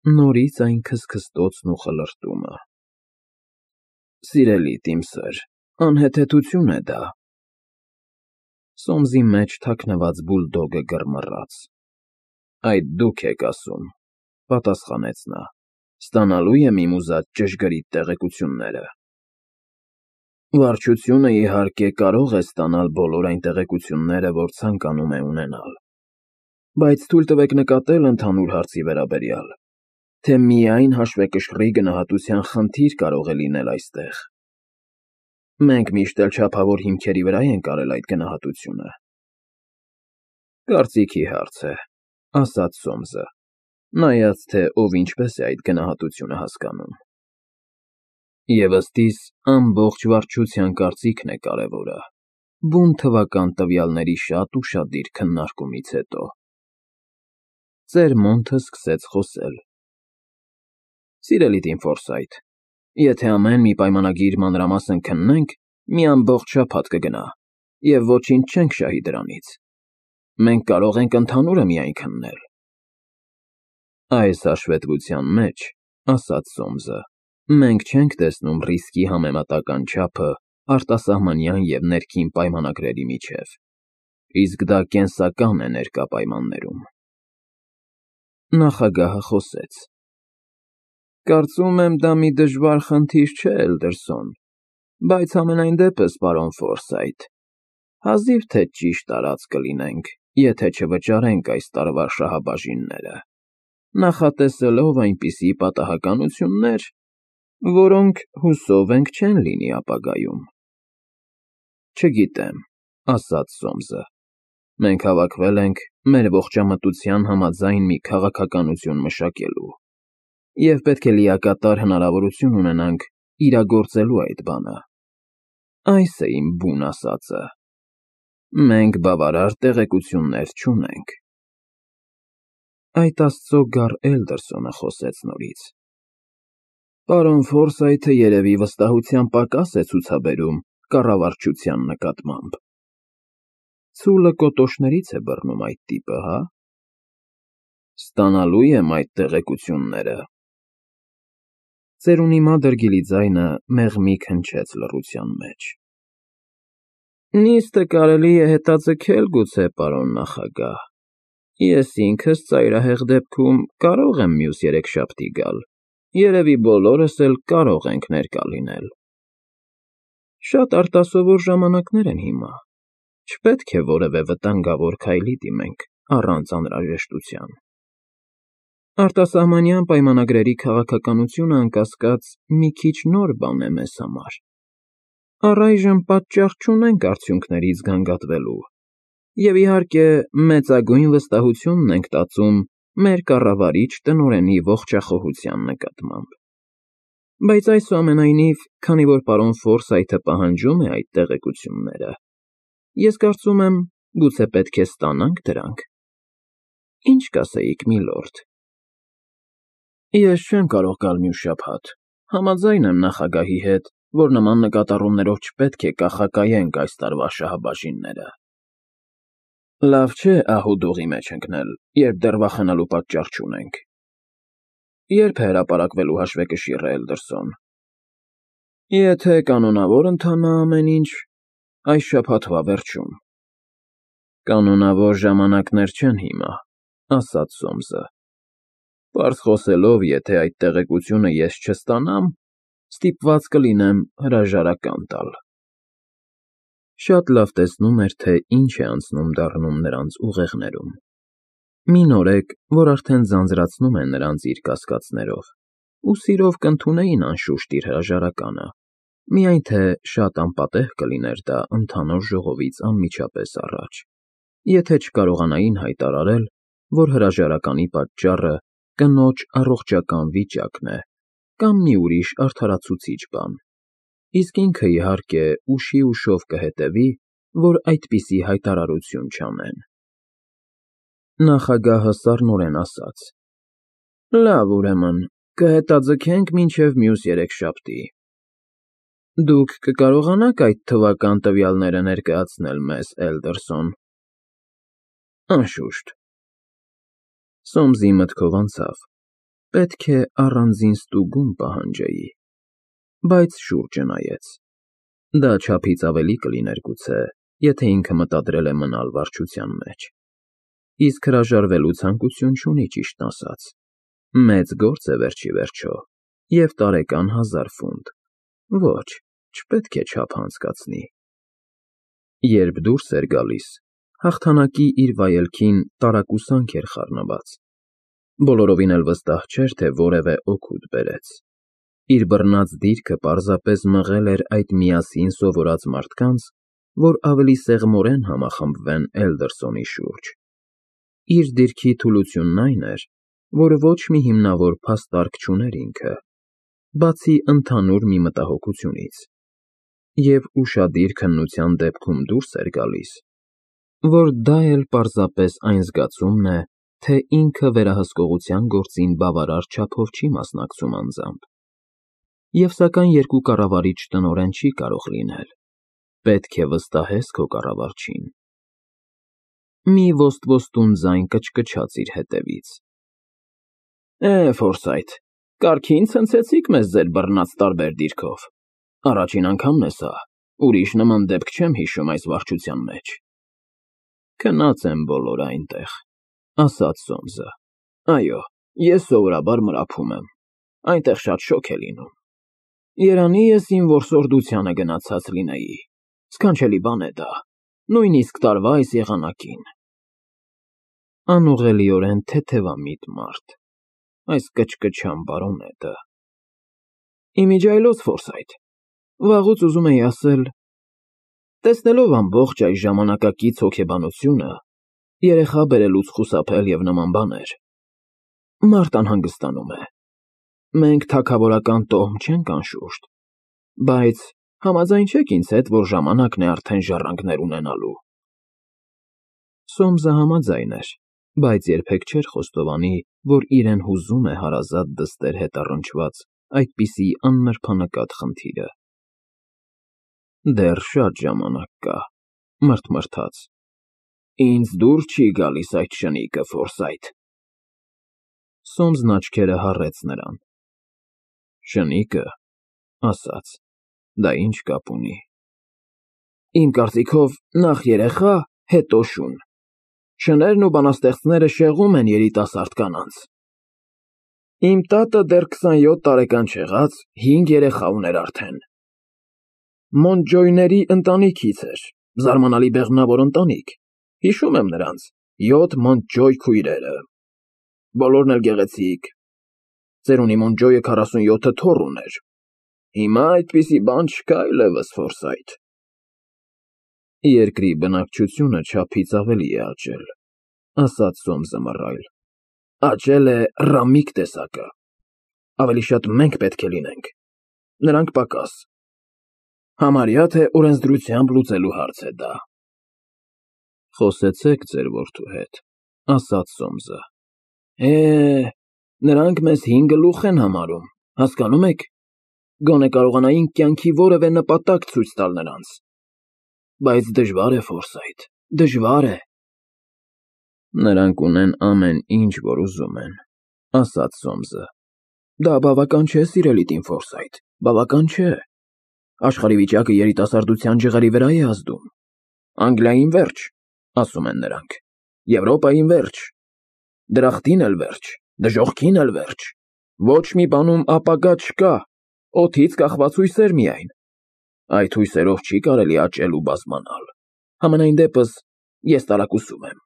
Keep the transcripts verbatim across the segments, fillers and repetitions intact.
Նորից այն քսքստոցն ու խլրտումը։ Սիրելիդ, իմ սըր, անհեթեթություն է դա։ Սոմսի մեջ թաքնված բուլդոգը գրմռաց։ Այդ դուք եք ասում, պատասխանեց նա, ստանալու եմ իմ ուզած ճշգրիտ տեղեկությունները։ Վարչությունը, իհարկե, կարող է ստանալ բոլոր այն տեղեկությունները, որ ցանկանում է ունենալ, բայց թույլ տվեք նկատել ընդհանուր հարցի վերաբերյալ, թե միայն հաշվեկշռի գնահատության խնդիր կարող է լինել այստեղ։ Մենք միշտ էլ չափավոր հիմքերի վրա ենք արել այդ գնահատությունը։ Կարծիքի հարց է, ասաց Սոմսը, նայած, թե ով ինչպես է այդ գնահատությունը հասկանում։ Եվ ըստ իս, ամբողջ վարչության կարծիքն է կարևորը, բուն թվական տվյալների շատ ուշադիր քննարկումից հետո։ Ծերմոնթը սկսեց խոսել. Սիրելի թիմ Ֆորսայթ, եթե ամեն մի պայմանագիր մանրամասն քննենք, մի ամբողջ շաբաթ կգնա, և ոչինչ չենք շահի դրանից։ Մենք կարող ենք ընդհանուրը միայն քննել։ Այս հաշվետվության մեջ, ասաց Սոմսը, մենք չենք տեսնում ռիսկի համեմատական չափը արտասահմանյան և ներքին պայմանագրերի միջև, իսկ դա կենսական է ներկա պայմաններում։ Նախագահը խոսեց. Կարծում եմ, դա մի դժվար խնդիր չէ, Էլդերսոն, բայց համենայն դեպս, պարոն Ֆորսայթ, հազիվ թե ճիշտ արած կլինենք, եթե չվճարենք այս տարվա շահաբաժինները, նախատեսելով այնպիսի պատահականություններ, որոնք, հուսով ենք, չեն լինի ապագայում։ Չգիտեմ, ասաց Սոմսը, մենք հավաքվել ենք մեր ողջամտության համաձայն մի քաղաքականություն մշակելու և պետք է լիակատար հնարավորություն ունենանք իրագործելու այդ բանը։ Այս է իմ բուն ասածը։ Մենք բավարար տեղեկություններ չունենք։ Այդ աստծո գառ Էլդերսոնը խոսեց նորից. Պարոն Ֆորսայթը երևի վստահության պակաս է ցուցաբերում կառավարչության նկատմամբ։ Ցուլը կոտոշներից է բռնում այդ տիպը, հա։ Ստանալու եմ այդ տեղեկությունները։ Ծերունի մադրգիլի ձայնը մեղմիկ հնչեց լռության մեջ։ Նիստը կարելի է հետաձգել գուցե, պարոն նախագահ։ Ես ինքս ծայրահեղ դեպքում կարող եմ մյուս երեքշաբթի գալ, երևի բոլորս էլ կարող ենք ներկա լինել։ Շատ արտասովոր ժամանակներ են հիմա, չպետք է որևէ վտանգավոր քայլի դիմենք առանց անհրաժեշտության։ Արտասահմանյան պայմանագրերի քաղաքականությունը, անկասկած, մի քիչ նոր բան է մեզ համար։ Առայժմ պատճառ չունենք արդյունքներից գանգատվելու, և իհարկե մեծագույն վստահությունն ենք տածում մեր կառավարիչ տնօրենի ողջախոհության նկատմամբ։ Բայց այսուամենայնիվ, քանի որ պարոն Ֆորսայթը պահանջում է այդ տեղեկությունները, ես կարծում եմ, գուցե պետք է ստանանք դրանք։ Ինչ կասեիք, միլորդ։ Ես չեմ կարող գալ մյուս շաբաթ, համաձայն եմ նախագահի հետ, որ նման նկատառումներով չպետք է կախակայենք այս տարվա շահաբաժինները։ Լավ չէ ահուդուղի մեջ ընկնել, երբ դեռ վախենալու պատճառ չունենք։ Ե՞րբ է հրապարակվելու հաշվեկշիռը, Էլդերսոն։ Եթե կանոնավոր ընթանա ամեն ինչ, այս շաբաթվա վերջում։ Կանոնավոր ժամանակներ չեն հիմա, ասաց Սոմսը։ Պարզ խոսելով, եթե այդ տեղեկությունը ես չստանամ, ստիպված կլինեմ հրաժարական տալ։ Շատ լավ տեսնում էր, թե ինչ է անցնում դառնում նրանց ուղեղներում։ Մի նորեկ, որ արդեն ձանձրացնում է նրանց իր կասկածներով, ու սիրով կընդունեին անշուշտ իր հրաժարականը, միայն թե շատ անպատեհ կլիներ դա ընդհանուր ժողովից անմիջապես առաջ, եթե չկարողանային հայտարարել, որ հրաժարականի պատճառը կնոջ առողջական վիճակն է կամ մի ուրիշ արդարացուցիչ բան, իսկ ինքը, իհարկե, ուշի ուշով կհետևի, որ այդպիսի հայտարարություն չանեն։ Նախագահը սառնորեն ասաց. Լավ, ուրեմն, կհետաձգենք մինչև մյուս երեքշաբթի։ Դուք կկարողանաք այդ թվական տվյալները ներկայացնել մեզ, Էլդերսոն։ Անշուշտ։ Սոմսի մտքով անցավ, Պետք է առանձին ստուգում պահանջեի, բայց շուրջը նայեց։ Դա չափից ավելի կլիներ գուցե, եթե ինքը մտադրել է մնալ վարչության մեջ։ Իսկ հրաժարվելու ցանկություն չունի, ճիշտն ասած։ Մեծ գործ է վերջ ի վերջո, և տարեկան հազար ֆունտ։ Ոչ, չպետք է չափ անցկացնի։ Երբ դուրս էր գալիս, հաղթանակի իր վայելքին տարակուսանք էր խառնված։ Բոլորովին էլ վստահ չէր, թե որևէ օգուտ բերեց։ Իր բռնած դիրքը պարզապես մղել էր այդ միասին սովորած մարդկանց, որ ավելի սեղմորեն համախմբվեն Էլդերսոնի շուրջ։ Իր դիրքի թուլությունն այն էր, որ ոչ մի հիմնավոր փաստարկ չուներ ինքը, բացի ընդհանուր մի մտահոգությունից, և ուշադիր քննության դեպքում դուրս էր գալիս, որ դա էլ պարզապես այն զգացումն է, թե ինքը վերահսկողության գործին բավարար չափով չի մասնակցում անձամբ։ Եվ սակայն երկու կառավարիչ տնօրեն չի կարող լինել, պետք է վստահես քո կառավարչին։ Մի ոստ-ոստուն ձայն կչկչաց իր հետևից. Է, Ֆորսայթ, կարգին ցնցեցիք մեզ ձեր բռնած տարբեր դիրքով։ Առաջին անգամն է սա, ուրիշ նման դեպք չեմ հիշում այս վարչության մեջ։ Քնած են բոլորը այնտեղ, ասաց Սոմսը։ Այո, ես սովորաբար մրափում եմ, այնտեղ շատ շոգ է լինում։ Երանի ես իմ որսորդությանը գնացած լինեի, սքանչելի բան է դա, նույնիսկ տարվա այս եղանակին։ Անուղղելիորեն թեթևամիտ մարդ, այս կչկչան բարոնետը։ Իմիջիայլոց, Ֆորսայթ, վաղուց ուզում էի ասել, տեսնելով ամբողջ այս ժամանակակից հոգեբանությունը, երեխա բերելուց խուսափել և նման բաներ, մարդ անհանգստանում է։ Մենք թագավորական տոհմ չենք անշուշտ, բայց համաձայնչեք ինձ հետ, որ ժամանակն է արդեն ժառանգներ ունենալու։ Սոմսը համաձայն էր, բայց երբեք չէր խոստովանի, որ իրեն հուզում է հարազատ դստեր հետ առնչված այդպիսի աննրբանկատ խնդիրը։ Դեռ շատ ժամանակ կա, մռթմռթաց։ Ինձ դուր չի գալիս այդ շնիկը, Ֆորսայթ։ Սոմսն աչքերը հառեց նրան։ Շնիկը, ասաց, դա ինչ կապ ունի։ Իմ կարծիքով, նախ երեխա, հետո շուն։ Շներն ու բանաստեղծները շեղում են երիտասարդ կանանց։ Իմ տատը դեռ քսանյոթ տարեկան չեղած հինգ երեխա ուներ արդեն։ Մոնտջոյների ընտանիքից էր, զարմանալի բեղմնավոր ընտանիք, հիշում եմ նրանց, յոթ Մոնտջոյ քույրերը։ Բոլորն էլ գեղեցիկ։ Ծերունի Մոնտջոյը քառասունյոթը թոռ ուներ։ Հիմա այդպիսի բան չկա այլևս, Ֆորսայթ։ Երկրի բնակչությունը չափից ավելի է աճել, ասաց Սոմսը մռայլ։ Աճել է ռամիկ տեսակը։ Ավելի շատ մենք պետք է լինենք, նրանք պակաս։ Համարյա թե օրենսդրությամբ լուծելու հարց է դա։ Խոսեցեք ձեր որդու հետ, ասաց Սոմսը։ Է, նրանք մեզ հին գլուխ են համարում, հասկանում եք։ Գոնե կարողանայինք կյանքի որևէ նպատակ ցույց տալ նրանց։ Բայց դժվար է, Ֆորսայթ, դժվար է։ Նրանք ունեն ամեն ինչ, որ ուզում են, ասաց Սոմսը։ Դա բավական չէ, սիրելի տին Ֆորսայթ, բավական չէ։ Աշխարհի վիճակը երիտասարդության ջղերի վրա է ազդում։ Անգլիային վերջ, ասում են նրանք, Եվրոպային վերջ, դրախտին էլ վերջ, դժոխքին էլ վերջ։ Ոչ մի բանում ապագա չկա, օդից կախված հույսեր միայն։ Այդ հույսերով չի կարելի աճել ու բազմանալ։ Համենայն դեպս, ես տարակուսում եմ։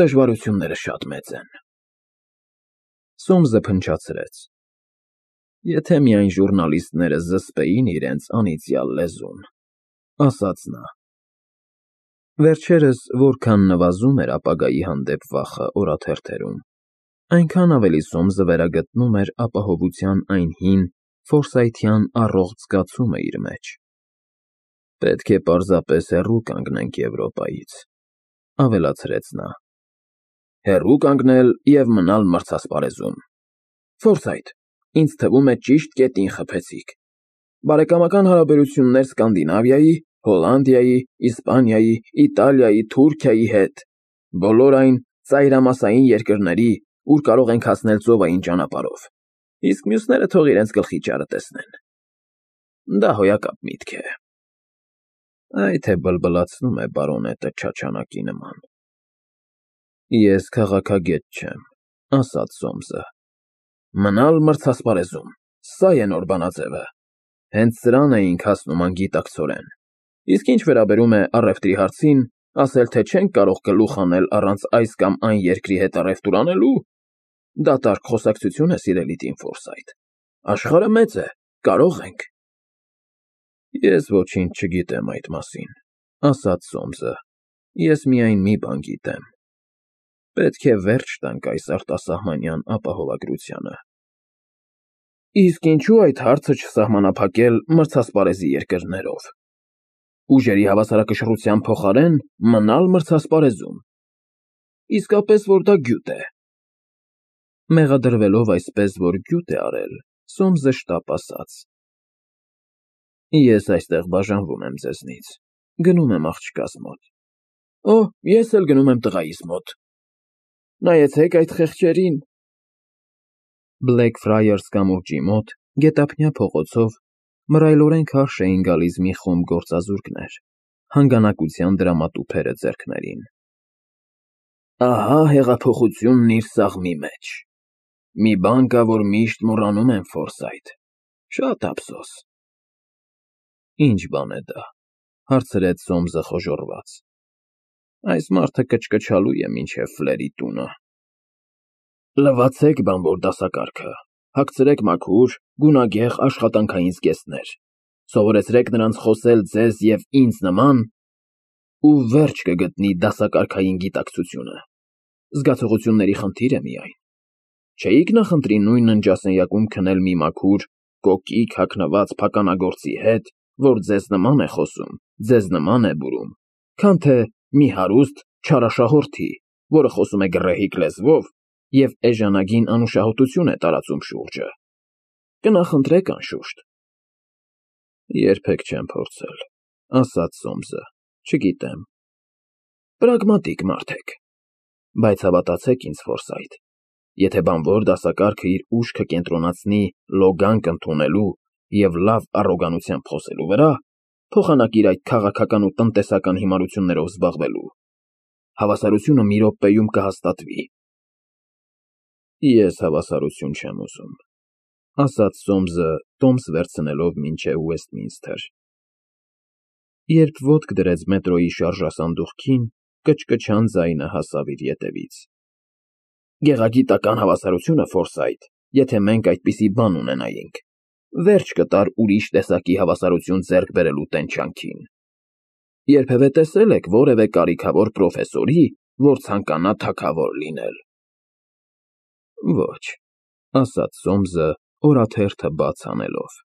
Դժվարությունները շատ մեծ են։ Սոմսը փնչացրեց։ Եթե միայն ժուրնալիստները զսպեին իրենց անիծյալ լեզուն, ասաց նա։ Վերջերս որքան նվազում էր ապագայի հանդեպ վախը օրաթերթերում, այնքան ավելի Սոմսը վերագտնում էր ապահովության այն հին ֆորսայթյան առողջ զգացումը իր մեջ։ Պետք է պարզապես հեռու կանգնենք Եվրոպայից, ավելացրեց նա։ Հեռու կանգնել և մնալ մրցասպարեզում։ Ֆորսայթ, ինձ թվում է ճիշտ կետին խփեցիք։ Բարեկամական հարաբերություններ Սկանդինավիայի, Հոլանդիայի, Իսպանիայի, Իտալիայի, Թուրքիայի հետ, բոլոր այն ծայրամասային երկրների, ուր կարող ենք հասնել ծովային ճանապարհով, իսկ մյուսները թող իրենց գլխի ճարը տեսնեն։ Դա հոյակապ միտք է։ Այ թե բլբլացնում է բարոնետը չաչանակի նման։ Ես քաղաքագետ չեմ, ասաց Սոմսը։ Մնալ մրցասպարեզում, սա է նոր բանաձևը։ Հենց սրան էինք հասնում անգիտակցորեն։ Իսկ ինչ վերաբերում է առևտրի հարցին, ասել թե չենք կարող գլուխ անել առանց այս կամ այն երկրի հետ առևտուր անելու, դատարկ խոսակցություն է, սիրելի Տիմ Ֆորսայթ։ Աշխարհը մեծ է, կարող ենք։ Ես ոչինչ չգիտեմ այդ մասին, ասաց Սոմսը։ Ես միայն մի բան գիտեմ։ Պետք է վերջ տանք այս արտասահմանյան ապահովագրությանը։ Իսկ ինչու այդ հարցը չսահմանափակել մրցասպարեզի երկրներով։ Ուժերի հավասարակշռության փոխարեն մնալ մրցասպարեզում։ Իսկապես որ դա գյուտ է։ Մեղադրվելով այսպես, որ գյուտ է արել, Սոմսը շտապ ասաց. Ես այստեղ բաժանվում եմ ձեզնից, գնում եմ աղջկաս մոտ։ Օ, ես էլ գնում եմ տղայիս մոտ։ Նայեցեք այդ խեղճերին։ Բլեքֆրայերս կամուրջի մոտ, գետափնյա փողոցով, մռայլորեն քարշ էին գալիս մի խումբ գործազուրկներ, հանգանակության դրամատուփերը ձեռքներին։ Ահա հեղափոխությունն իր սաղմի մեջ։ Մի բան կա, որ միշտ մոռանում են, Ֆորսայթ։ Շատ ափսոս։ Ինչ բան է դա, հարցրեց Սոմսը խոժոռված։ Այս մարդը կչկչալու է մինչև Ֆլերի տունը։ Լվացեք բանվոր դասակարգը, հագցրեք մաքուր, գունագեղ աշխատանքային զգեստներ, սովորեցրեք նրանց խոսել ձեզ և ինձ նման, ու վերջ կգտնի դասակարգային գիտակցությունը։ Զգացողությունների խնդիր է միայն։ Չէիք նախընտրի նույն ննջասենյակում քնել մի մաքուր, կոկիկ հագնված փականագործի հետ, որ ձեզ նման է խոսում, ձեզ նման է բուրում, քան թե մի հարուստ չարաշահորդի, որը խոսում է գռեհիկ լեզվով և էժանագին անուշահոտություն է տարածում շուրջը։ Կնախընտրեք անշուշտ։ Երբեք չեմ փորձել, ասաց Սոմսը, չգիտեմ։ Պրագմատիկ մարդ եք։ Բայց հավատացեք ինձ, Ֆորսայթ, եթե բանվոր դասակարգը իր ուշքը կենտրոնացնի լոգանք ընդունելու և լավ առոգանությամբ խոսելու վրա, փոխանակիր այդ քաղաքական ու տնտեսական հիմարություններով զբաղվելու, հավասարությունը մի րոպեում կհաստատվի։ Ես հավասարություն չեմ ուզում, ասաց Սոմսը, տոմս վերցնելով մինչև Ուեսթմինսթր։ Երբ ոտք դրեց մետրոյի շարժասանդուղքին, կչկչան ձայնը հասավ իր ետևից։ Գեղագիտական հավասարությունը, Ֆորսայթ, եթե մենք այդպիսի բան ունենայինք, վերջ կտար ուրիշ տեսակի հավասարություն ձեռք բերելու տենչանքին։ Երբևէ տեսե՞լ եք որևէ կարիքավոր պրոֆեսորի, որ ցանկանա թագավոր լինել։ Ոչ, ասաց Սոմսը, օրաթերթը բաց անելով։